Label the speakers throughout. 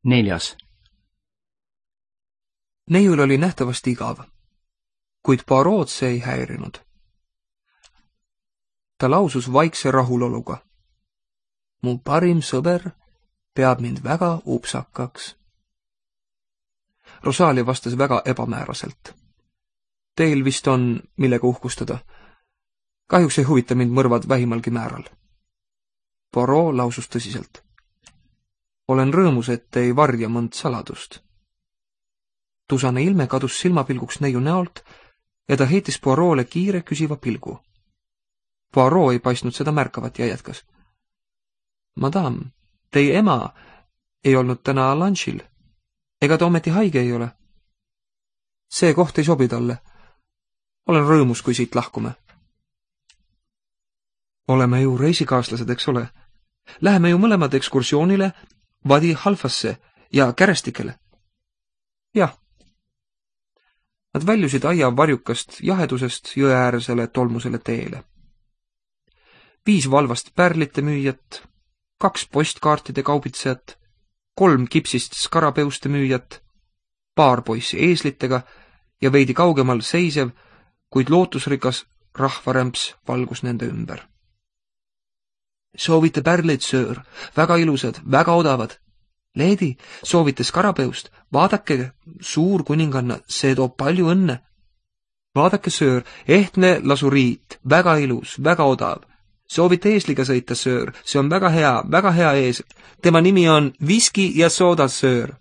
Speaker 1: 4.
Speaker 2: Neiul oli nähtavasti igav, kuid Poirot see ei häirinud. Ta lausus vaikse rahuloluga. Mu parim sõber peab mind väga upsakaks. Rosalia vastas väga ebamääraselt. Teil vist on, millega uhkustada. Kahjuks ei huvita mind mõrvad vähimalgi määral. Poirot lausus tõsiselt. Olen rõõmus, et ei varja mõnd saladust. Tusane ilme kadus silmapilguks neiu näolt ja ta heitis Poirot'le kiire küsiva pilgu. Poirot ei paistnud seda märkavat ja jätkas. Madame, teie ema ei olnud täna lunchil. Ega ta ometi haige ei ole? See koht ei sobi talle. Olen rõõmus, kui siit lahkume. Oleme ju reisikaaslased, eks ole? Läheme ju mõlemad ekskursioonile Vadi Halfasse ja Kärestikele. Jah. Nad väljusid aia varjukast jahedusest jõeäärsele tolmusele teele. 5 valvast pärlite müüjat, 2 postkaartide kaubitsejat, 3 kipsist skarapeuste müüjat, paar poissi eeslitega ja veidi kaugemal seisev, kuid lootusrikas rahvarämps valgus nende ümber. Soovite pärleid, söör, väga ilusad, väga odavad. Leedi, soovite skarapeust, vaadake, suur kuninganna, see toob palju õnne. Vaadake, söör, ehtne lasuriit, väga ilus, väga odav. Soovite eesliga sõita, söör, see on väga hea ees. Tema nimi on viski ja sooda, söör.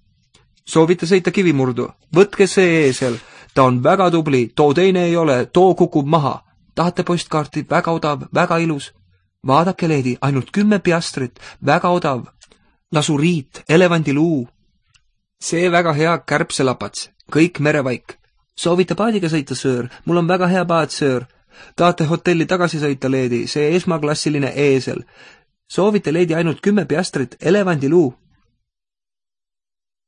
Speaker 2: Soovite sõita kivimurdu, võtke see eesel, ta on väga tubli, too teine ei ole, too kukub maha. Tahate postkaarti, väga odav, väga ilus. Vaadake, leedi, ainult 10 piastrit, väga odav. Lasuriit, elevandiluu. See väga hea kärbselapats, kõik merevaik. Soovite paadiga sõita, söör, mul on väga hea paad, söör. Tahate hotelli tagasi sõita, leedi, see esmaklassiline eesel. Soovite, leedi, ainult 10 piastrit, elevandiluu.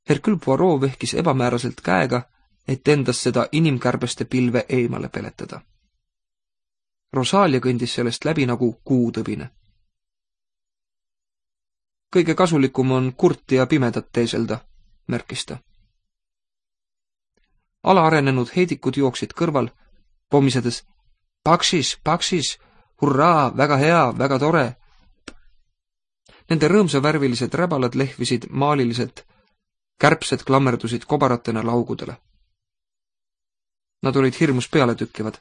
Speaker 2: Hercule Poirot vehkis ebamääraselt käega, et endast seda inimkärbeste pilve eemale peletada. Rosalia kõndis sellest läbi nagu kuutõbine. Kõige kasulikum on kurti ja pimedat teeselda, märkis ta. Alaarenenud heidikud jooksid kõrval, pommisedes Paksis, hurraa, väga hea, väga tore. Nende rõõmsavärvilised räbalad lehvisid maaliliselt, kärbsed klammerdusid kobaratena laugudele. Nad olid hirmus pealetükkivad.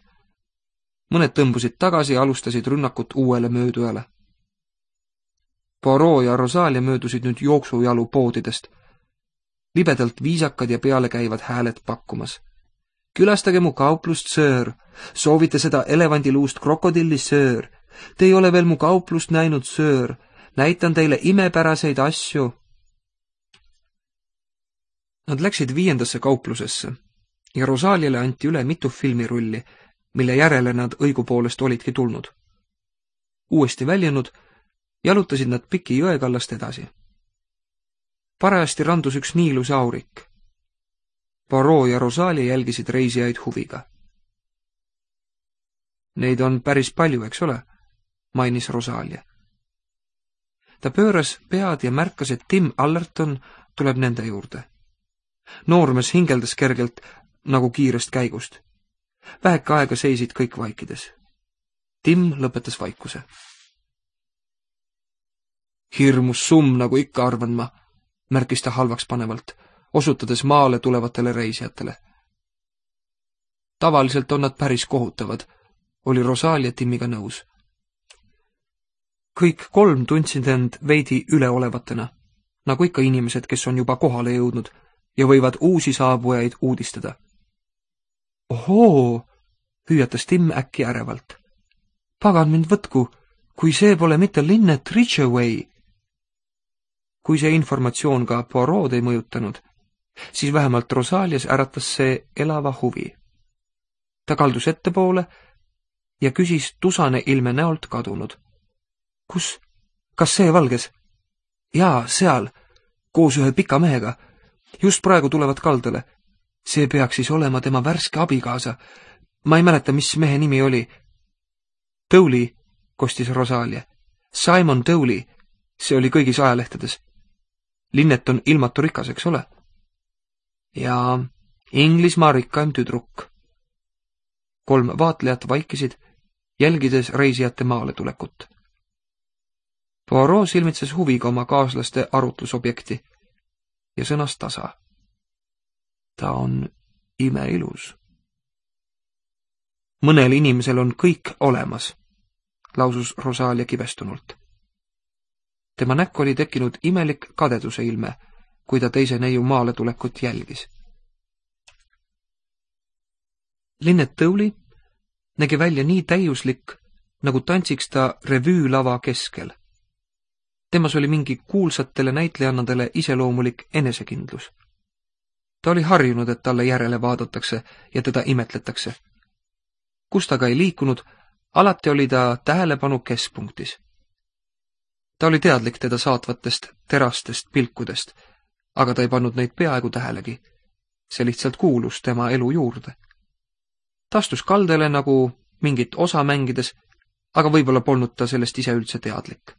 Speaker 2: Mõned tõmbusid tagasi ja alustasid rünnakut uuele möödujale. Poirot ja Rosalia möödusid nüüd jooksujalu poodidest. Libedalt viisakad ja pealekäivad hääled pakkumas. Külastage mu kauplust, söör. Soovite seda elevandiluust krokodilli, söör. Te ei ole veel mu kauplust näinud, söör. Näitan teile imepäraseid asju. Nad läksid 5. kauplusesse ja Rosaliale anti üle mitu filmirulli, mille järele nad õigupoolest olidki tulnud. Uuesti väljunud, jalutasid nad piki jõekallast edasi. Parajasti randus üks nii ilus aurik. Poirot ja Rosalia jälgisid reisijaid huviga. Neid on päris palju, eks ole, mainis Rosalia. Ta pööras pead ja märkas, et Tim Allerton tuleb nende juurde. Noormees hingeldas kergelt nagu kiirest käigust. Väheke aega seisid kõik vaikides. Tim lõpetas vaikuse. Hirmus summ, nagu ikka arvan ma, märkis ta halvaks panevalt, osutades maale tulevatele reisijatele. Tavaliselt on nad päris kohutavad, oli Rosalia Timiga nõus. Kõik 3 tundsid end veidi üleolevatena, nagu ikka inimesed, kes on juba kohale jõudnud ja võivad uusi saabujaid uudistada. Ohoo, hüüatas Tim äkki ärevalt. Pagan mind võtku, kui see pole mitte Lynette Ridgeway. Kui see informatsioon ka Poirot ei mõjutanud, siis vähemalt Rosalias äratas see elava huvi. Ta kaldus ettepoole ja küsis tusane ilme näolt kadunud. Kus? Kas see valges? Jaa, seal, koos ühe pika mehega. Just praegu tulevad kaldale. See peaks siis olema tema värske abikaasa. Ma ei mäleta, mis mehe nimi oli. Dowley, kostis Rosalia. Simon Dowley. See oli kõigis ajalehtedes. Linnet on ilmatu rikas, eks ole? Ja Inglismaa rikkaim tüdruk. 3 vaatlejat vaikisid, jälgides reisijate maale tulekut. Poirot silmitses huviga oma kaaslaste arutlusobjekti ja sõnas tasa. Ta on imeilus. Mõnel inimesel on kõik olemas, lausus Rosalia kibestunult. Tema näkku oli tekkinud imelik kadeduse ilme, kui ta teise neiu maale tulekut jälgis. Linnet Dowley nägi välja nii täiuslik, nagu tantsiks ta revüülava keskel. Temas oli mingi kuulsatele näitlejannadele iseloomulik enesekindlus. Ta oli harjunud, et talle järele vaadatakse ja teda imetletakse. Kus ta ka ei liikunud, alati oli ta tähelepanu keskpunktis. Ta oli teadlik teda saatvatest terastest pilkudest, aga ta ei pannud neid peaaegu tähelegi. See lihtsalt kuulus tema elu juurde. Ta astus kaldele nagu mingit osa mängides, aga võib-olla polnud ta sellest ise üldse teadlik.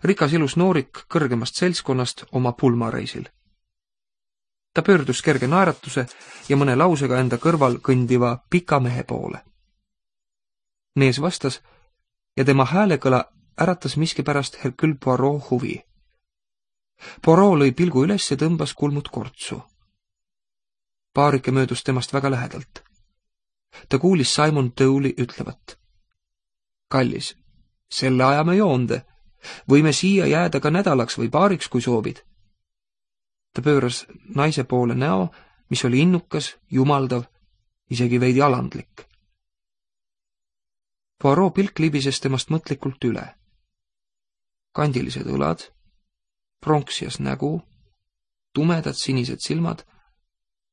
Speaker 2: Rikas ilus noorik kõrgemast seltskonnast oma pulmareisil. Ta pöördus kerge naeratuse ja mõne lausega enda kõrval kõndiva pika mehe poole. Mees vastas ja tema häälekõla äratas miskipärast Hercule Poirot huvi. Poirot lõi pilgu üles ja tõmbas kulmud kortsu. Paarike möödus temast väga lähedalt. Ta kuulis Simon Dowley ütlevat. Kallis, selle ajame joonde. Võime siia jääda ka nädalaks või paariks, kui soovid. Ta pööras naise poole näo, mis oli innukas, jumaldav, isegi veidi alandlik. Poirot pilk libises temast mõtlikult üle. Kandilised õlad, pronksias nägu, tumedad sinised silmad,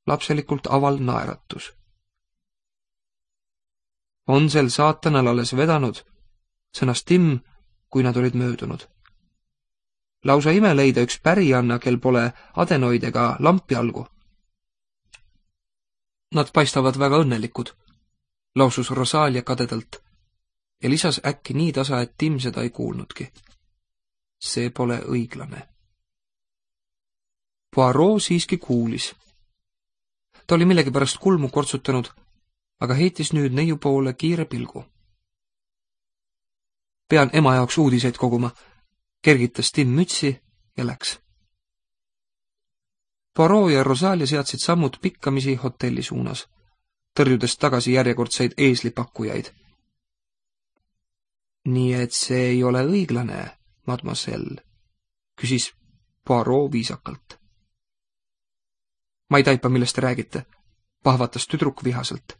Speaker 2: lapselikult aval naeratus. On sel saatanal alles vedanud, sõnas Tim, kui nad olid möödunud. Lausa ime leida üks pärianna, kel pole adenoid ega lampjalgu. Nad paistavad väga õnnelikud, lausus Rosalia kadedalt ja lisas äkki nii tasa, et Tim seda ei kuulnudki. See pole õiglane. Poirot siiski kuulis. Ta oli millegipärast kulmu kortsutanud, aga heitis nüüd neiu poole kiire pilgu. Pean ema jaoks uudiseid koguma, kergitas Tim mütsi ja läks. Poirot ja Rosalia seadsid sammud pikkamisi hotelli suunas, tõrjudes tagasi järjekordseid eeslipakkujaid. Nii et see ei ole õiglane, mademoiselle, küsis Poirot viisakalt. Ma ei taipa, millest te räägite, pahvatas tüdruk vihaselt.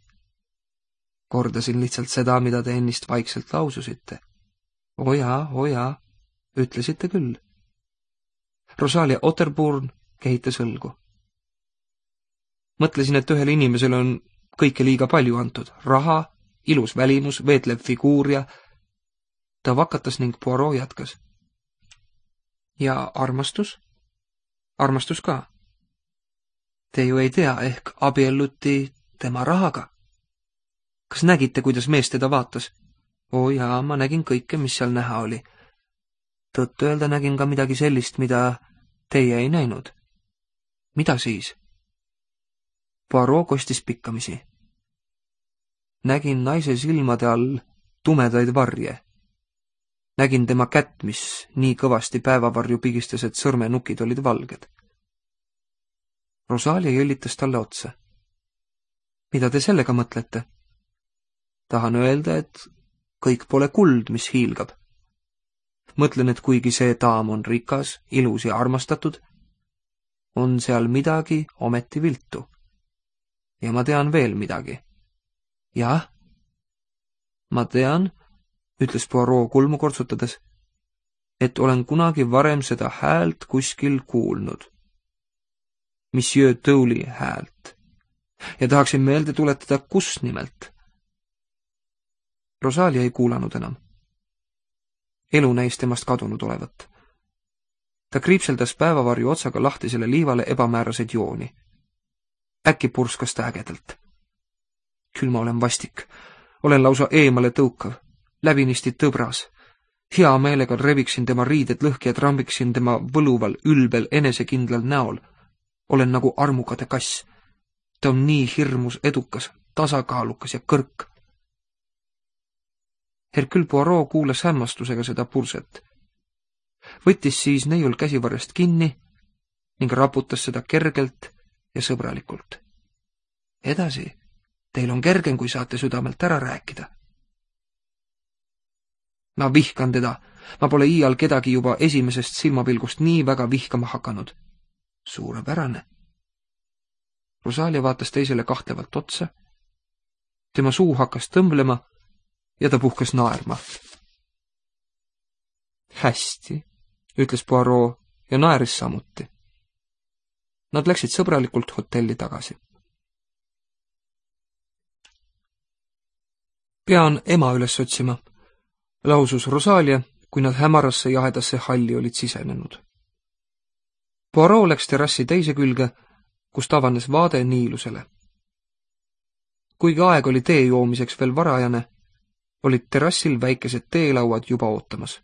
Speaker 2: Kordasin lihtsalt seda, mida te ennist vaikselt laususite. O jaa, ütlesite küll. Rosalia Otterburn kehitas õlgu. Mõtlesin, et ühele inimesele on kõike liiga palju antud. Raha, ilus välimus, veetlev figuur ja... Ta vakatas ning Poirot jätkas. Ja armastus? Armastus ka. Te ju ei tea, ehk abielluti tema rahaga. Kas nägite, kuidas mees teda vaatas? O jaa, ma nägin kõike, mis seal näha oli. Tõtt öelda nägin ka midagi sellist, mida teie ei näinud. Mida siis? Poirot kostis pikkamisi. Nägin naise silmade all tumedaid varje. Nägin tema kätt, mis nii kõvasti päevavarju pigistas, et sõrmenukid olid valged. Rosalia jõllitas talle otsa. Mida te sellega mõtlete? Tahan öelda, et kõik pole kuld, mis hiilgab. Mõtlen, et kuigi see daam on rikas, ilus ja armastatud, on seal midagi ometi viltu. Ja ma tean veel midagi. Jah, ma tean, ütles Poirot kulmu kortsutades, et olen kunagi varem seda häält kuskil kuulnud. Monsieur Dowley häält. Ja tahaksin meelde tuletada, kus nimelt. Rosalia ei kuulanud enam. Elu näis temast kadunud olevat. Ta kriipseldas päevavarju otsaga lahtisele liivale ebamääraseid jooni. Äkki purskas ta ägedalt. Küll ma olen vastik. Olen lausa eemale tõukav. Läbinisti tõbras. Hea meelega reviksin tema riided lõhki ja trambiksin tema võluval, ülbel, enesekindlal näol. Olen nagu armukade kass. Ta on nii hirmus edukas, tasakaalukas ja kõrk. Hercule Poirot kuulas hämmastusega seda purset. Võttis siis neiul käsivarrest kinni ning raputas seda kergelt ja sõbralikult. Edasi, teil on kergem, kui saate südamelt ära rääkida. Ma vihkan teda. Ma pole iial kedagi juba esimesest silmapilgust nii väga vihkama hakanud. Suurepärane. Rosalia vaatas teisele kahtlevalt otsa. Tema suu hakkas tõmblema ja ta puhkas naerma. Hästi, ütles Poirot ja naeris samuti. Nad läksid sõbralikult hotelli tagasi. Pean ema üles otsima, lausus Rosalia, kui nad hämarasse jahedasse halli olid sisenenud. Poirot läks terrassi teise külge, kust avanes vaade Niilusele. Kuigi aeg oli tee joomiseks veel varajane, olid terrassil väikesed teelauad juba ootamas.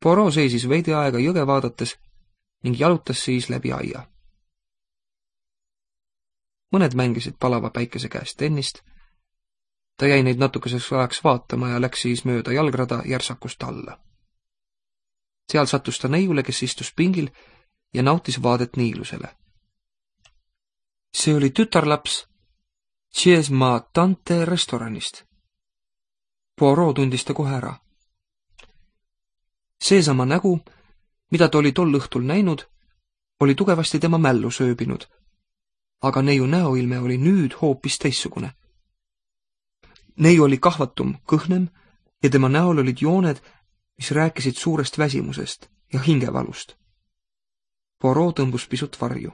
Speaker 2: Poirot seisis veidi aega jõge vaadates ning jalutas siis läbi aia. Mõned mängisid palava päikese käest tennist. Ta jäi neid natukeseks ajaks vaatama ja läks siis mööda jalgrada järsakust alla. Seal sattus ta neiule, kes istus pingil ja nautis vaadet Niilusele. See oli tütarlaps Chez ma tante restoranist. Poirot tundis ta kohe ära. Seesama nägu, mida ta oli tol õhtul näinud, oli tugevasti tema mällu sööbinud, aga neiu näoilme oli nüüd hoopis teissugune. Neiu oli kahvatum, kõhnem ja tema näol olid jooned, mis rääkisid suurest väsimusest ja hingevalust. Poirot tõmbus pisut varju.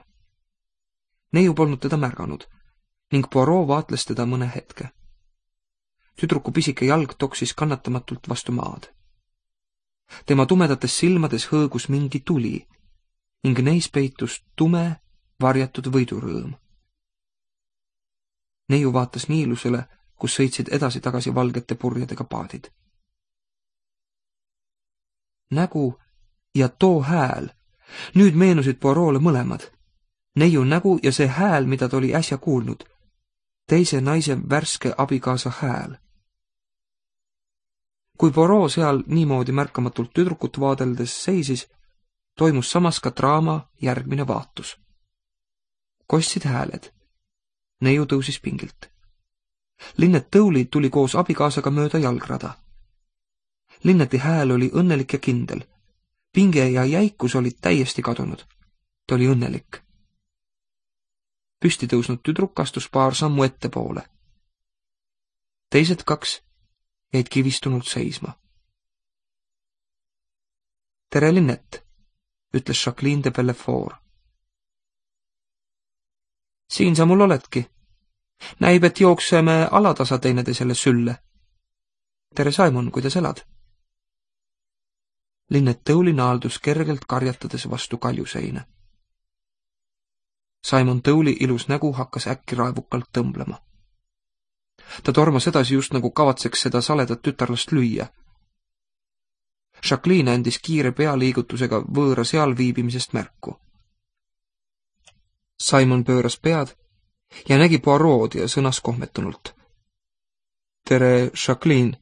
Speaker 2: Neiu polnud teda märganud ning Poirot vaatles teda mõne hetke. Tüdruku pisike jalg toksis kannatamatult vastu maad. Tema tumedates silmades hõõgus mingi tuli ning neis peitus tume, varjatud võidurõõm. Neiu vaatas Niilusele, kus sõitsid edasi-tagasi valgete purjedega paadid. Nägu ja too hääl. Nüüd meenusid Poirot'le mõlemad. Neiu nägu ja see hääl, mida ta oli äsja kuulnud. Teise naise värske abikaasa hääl. Kui Poirot seal niimoodi märkamatult tüdrukut vaadeldes seisis, toimus samas ka draama järgmine vaatus. Kostsid hääled. Neiu tõusis pingilt. Linnet Tõuli tuli koos abikaasaga mööda jalgrada. Linneti hääl oli õnnelik ja kindel. Pinge ja jäikus olid täiesti kadunud. Ta oli õnnelik. Püsti tõusnud tüdruk astus paar sammu ettepoole. Teised kaks jäid kivistunult seisma. Tere, Linnet, ütles Jacqueline de Bellefort. Siin sa mul oledki. Näib, et jookseme alatasa teineteisele sülle. Tere, Simon, kuidas elad? Linnet Tõuli naaldus kergelt karjatades vastu kaljuseina. Simon Tõuli ilus nägu hakkas äkki raevukalt tõmblema. Ta tormas edasi just nagu kavatseks seda saledat tütarlast lüüa. Jacqueline andis kiire pealiigutusega võõra seal viibimisest märku. Simon pööras pead ja nägi Poirot ja sõnas kohmetunult. Tere, Jacqueline.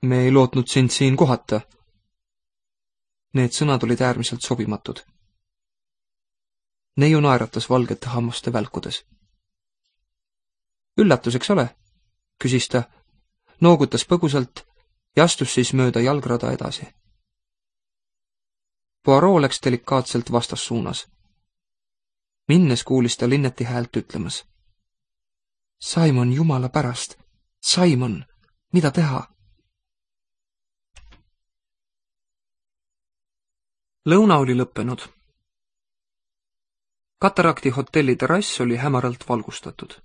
Speaker 2: Me ei lootnud sind siin kohata. Need sõnad olid äärmiselt sobimatud. Neiu naeratas valgete hammuste välkudes. Üllatus, eks ole? Küsis ta, noogutas põgusalt ja astus siis mööda jalgrada edasi. Poirot läks delikaatselt vastassuunas. Minnes kuulis ta Linneti häält ütlemas. Simon, jumala pärast! Simon, mida teha? Lõuna oli lõppenud. Katarakti hotelli terrass oli hämaralt valgustatud.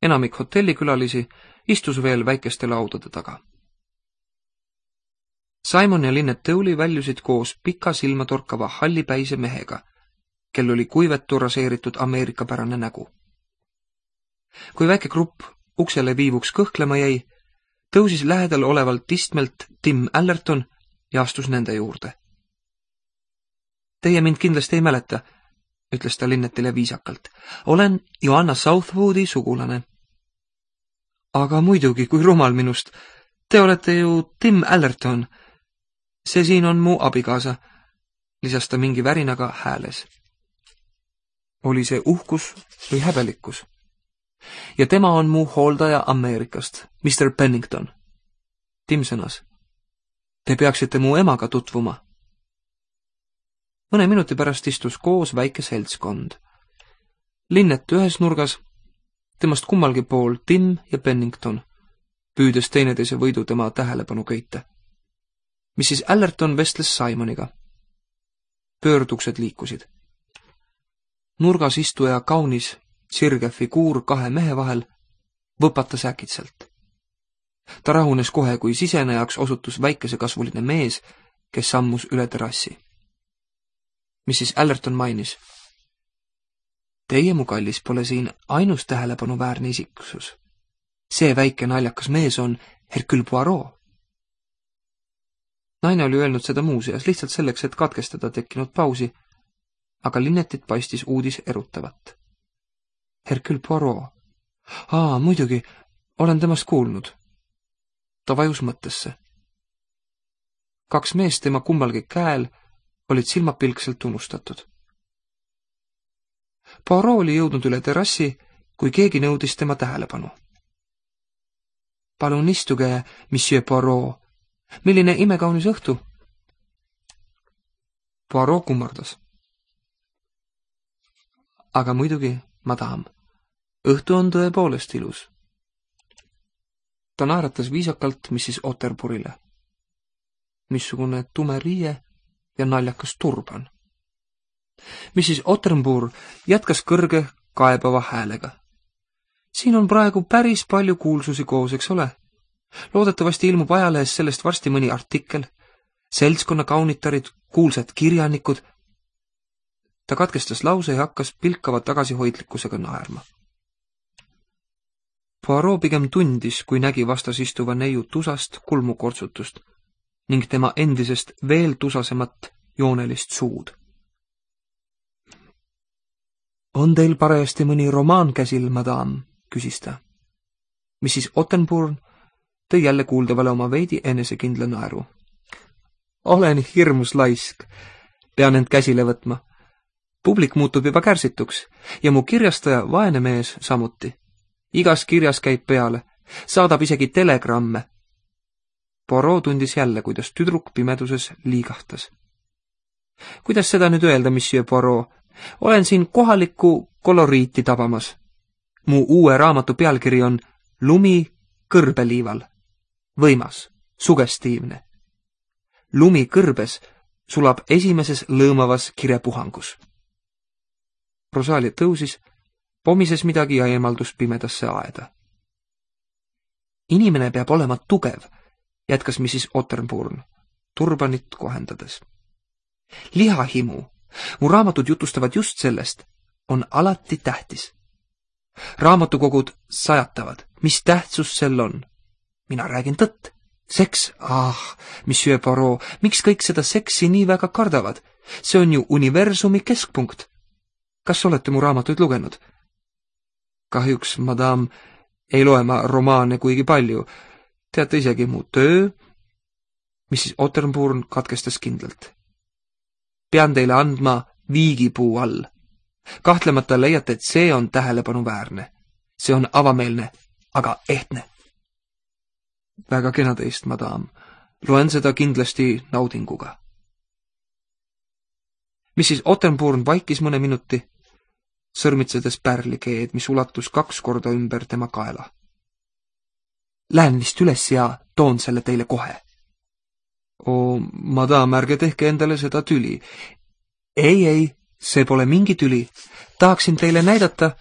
Speaker 2: Enamik hotellikülalisi istus veel väikeste laudade taga. Simon ja Linnet Tõuli väljusid koos pika silmatorkava hallipäise mehega, kel oli kuivetu raseeritud ameerikapärane nägu. Kui väike grupp uksele viivuks kõhklema jäi, tõusis lähedal olevalt istmelt Tim Allerton ja astus nende juurde. Teie mind kindlasti ei mäleta, ütles ta Linnetile viisakalt. Olen Joanna Southwoodi sugulane. Aga muidugi, kui rumal minust. Te olete ju Tim Allerton. See siin on mu abikaasa, lisas ta mingi värinaga hääles. Oli see uhkus või häbelikkus? Ja tema on mu hooldaja Ameerikast, Mr. Pennington. Tim sõnas. Te peaksite mu emaga tutvuma. Mõne minuti pärast istus koos väike seltskond. Linnet ühes nurgas, temast kummalgi pool Tim ja Pennington, püüdes teineteise võidu tema tähelepanu köita. Mrs. Allerton vestles Simoniga. Pöörduksed liikusid. Nurgas istuja kaunis sirge figuur kahe mehe vahel võpatas äkitselt. Ta rahunes kohe, kui sisenejaks osutus väikesekasvuline mees, kes sammus üle terrassi. Mrs. Allerton mainis. Teie, mu kallis, pole siin ainus tähelepanuväärne isiksus. See väike naljakas mees on Hercule Poirot. Naine oli öelnud seda muuseas lihtsalt selleks, et katkestada tekkinud pausi, aga Linnetit paistis uudis erutavat. Hercule Poirot. Muidugi, olen temast kuulnud. Ta vajus mõttesse. Kaks meest tema kummalgi käel olid silmapilkselt unustatud. Poirot oli jõudnud üle terrassi, kui keegi nõudis tema tähelepanu. Palun istuge, Monsieur Poirot. Milline imekaunis õhtu? Poirot kummardas. Aga muidugi, madam, õhtu on tõepoolest ilus. Ta naeratas viisakalt Mrs. Otterburile. Missugune tume riie ja naljakas turban. Mrs. Otterbur jätkas kõrge kaebava häälega. Siin on praegu päris palju kuulsusi koos, eks ole? Loodetavasti ilmub ajalehes sellest varsti mõni artikkel, seltskonna kaunitarid, kuulsad kirjanikud. Ta katkestas lause ja hakkas pilkava tagasihoidlikkusega naerma. Poirot pigem tundis, kui nägi vastas istuva neiu tusast kulmukortsutust ning tema endisest veel tusasemat joonelist suud. On teil parajasti mõni romaan käsil, madam, küsis ta. Mrs. Ottenburn tõi jälle kuuldavale oma veidi enesekindla naeru. Olen hirmus laisk, pean end käsile võtma. Publik muutub juba kärsituks ja mu kirjastaja vaene mees samuti. Igas kirjas käib peale, saadab isegi telegramme. Poirot tundis jälle, kuidas tüdruk pimeduses liigahtas. Kuidas seda nüüd öelda, Monsieur Poirot? Olen siin kohalikku koloriiti tabamas. Mu uue raamatu pealkiri on Lumi kõrbeliival. Võimas, sugestiivne. Lumi kõrbes sulab esimeses lõõmavas kirepuhangus. Rosalia tõusis, pomises midagi ja eemaldus pimedasse aeda. Inimene peab olema tugev, jätkas Mrs. Otterburn, turbanit kohendades. Lihahimu, mu raamatud jutustavad just sellest, on alati tähtis. Raamatukogud sajatavad, mis tähtsus sel on. Mina räägin tõtt. Seks, Monsieur Poirot, miks kõik seda seksi nii väga kardavad? See on ju universumi keskpunkt. Kas olete mu raamatuid lugenud? Kahjuks, madam, ei loe ma romaane kuigi palju. Teate isegi mu töö? Mrs. Otterburn katkestas kindlalt. Pean teile andma viigipuu all. Kahtlemata leiate, et see on tähelepanuväärne. See on avameelne, aga ehtne. Väga kena teist, madam. Loen seda kindlasti naudinguga. Mrs. Otterburn vaikis mõne minuti, sõrmitsedes pärlikeed, mis ulatus 2 korda ümber tema kaela. Lähen vist üles ja toon selle teile kohe. Madam, ärge tehke endale seda tüli. Ei, see pole mingi tüli. Tahaksin teile näidata.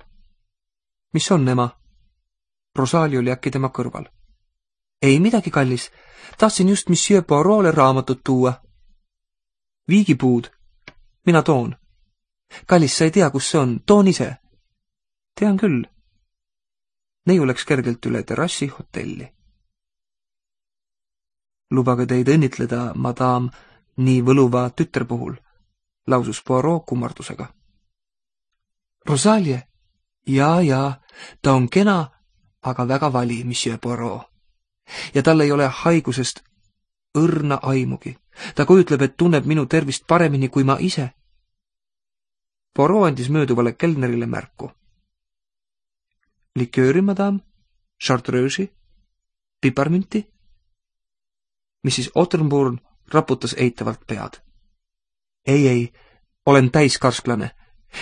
Speaker 2: Mis on, ema? Rosalia oli äkki tema kõrval. Ei midagi, kallis. Tahtsin just Monsieur Poirot'le raamatut tuua. Viigipuud. Mina toon. Kallis, sa ei tea, kus see on. Toon ise. Tean küll. Neiu läks kergelt üle terrassi hotelli. Lubage teid õnnitleda, madame, nii võluva tütre puhul, lausus Poirot kummardusega. Rosalie? Jaa, ta on kena, aga väga vali, monsieur Poirot. Ja tal ei ole haigusest õrna aimugi. Ta kujutleb, et tunneb minu tervist paremini kui ma ise. Poirot andis mööduvale kelnerile märku. Likööri, madame, chartreuse'i, piparmünti. Mrs. Otterburn raputas eitavalt pead. Ei, olen täiskarsklane.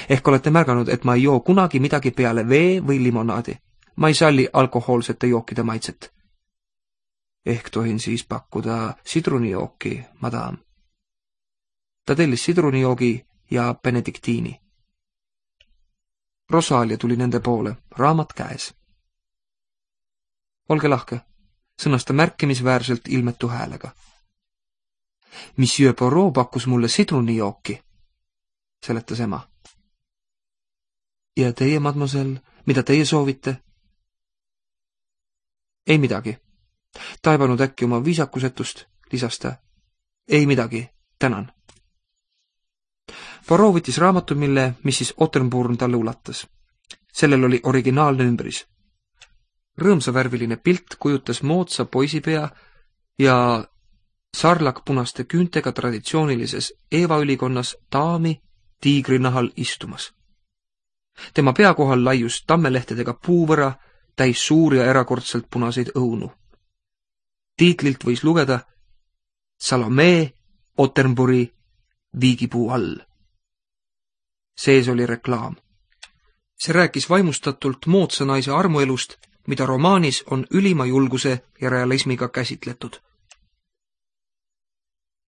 Speaker 2: Ehk olete märganud, et ma ei joo kunagi midagi peale vee või limonaadi. Ma ei salli alkohoolsete jookide maitset. Ehk tohin siis pakkuda sidrunijooki, madame. Ta tellis sidrunijoogi ja benediktiini. Rosalia tuli nende poole, raamat käes. Olge lahke, sõnas ta märkimisväärselt ilmetu häälega. Monsieur Poirot pakkus mulle sidrunijooki, seletas ema. Ja teie, mademoiselle, mida teie soovite? Ei midagi. Taibanud äkki oma viisakusetust, lisas ta. Ei midagi, tänan. Poirot võttis raamatu, mille Mrs. Otterburn talle ulatas. Sellel oli originaalne ümbris. Rõõmsavärviline pilt kujutas moodsa poisipea ja sarlakpunaste küüntega traditsioonilises eevaülikonnas daami tiigrinahal istumas. Tema pea kohal laius tammelehtedega puuvõra, täis suuri ja erakordselt punaseid õunu. Tiitlilt võis lugeda Salome Otterburni viigipuu all. Sees oli reklaam. See rääkis vaimustatult moodsa naise armuelust, mida romaanis on ülima julguse ja realismiga käsitletud.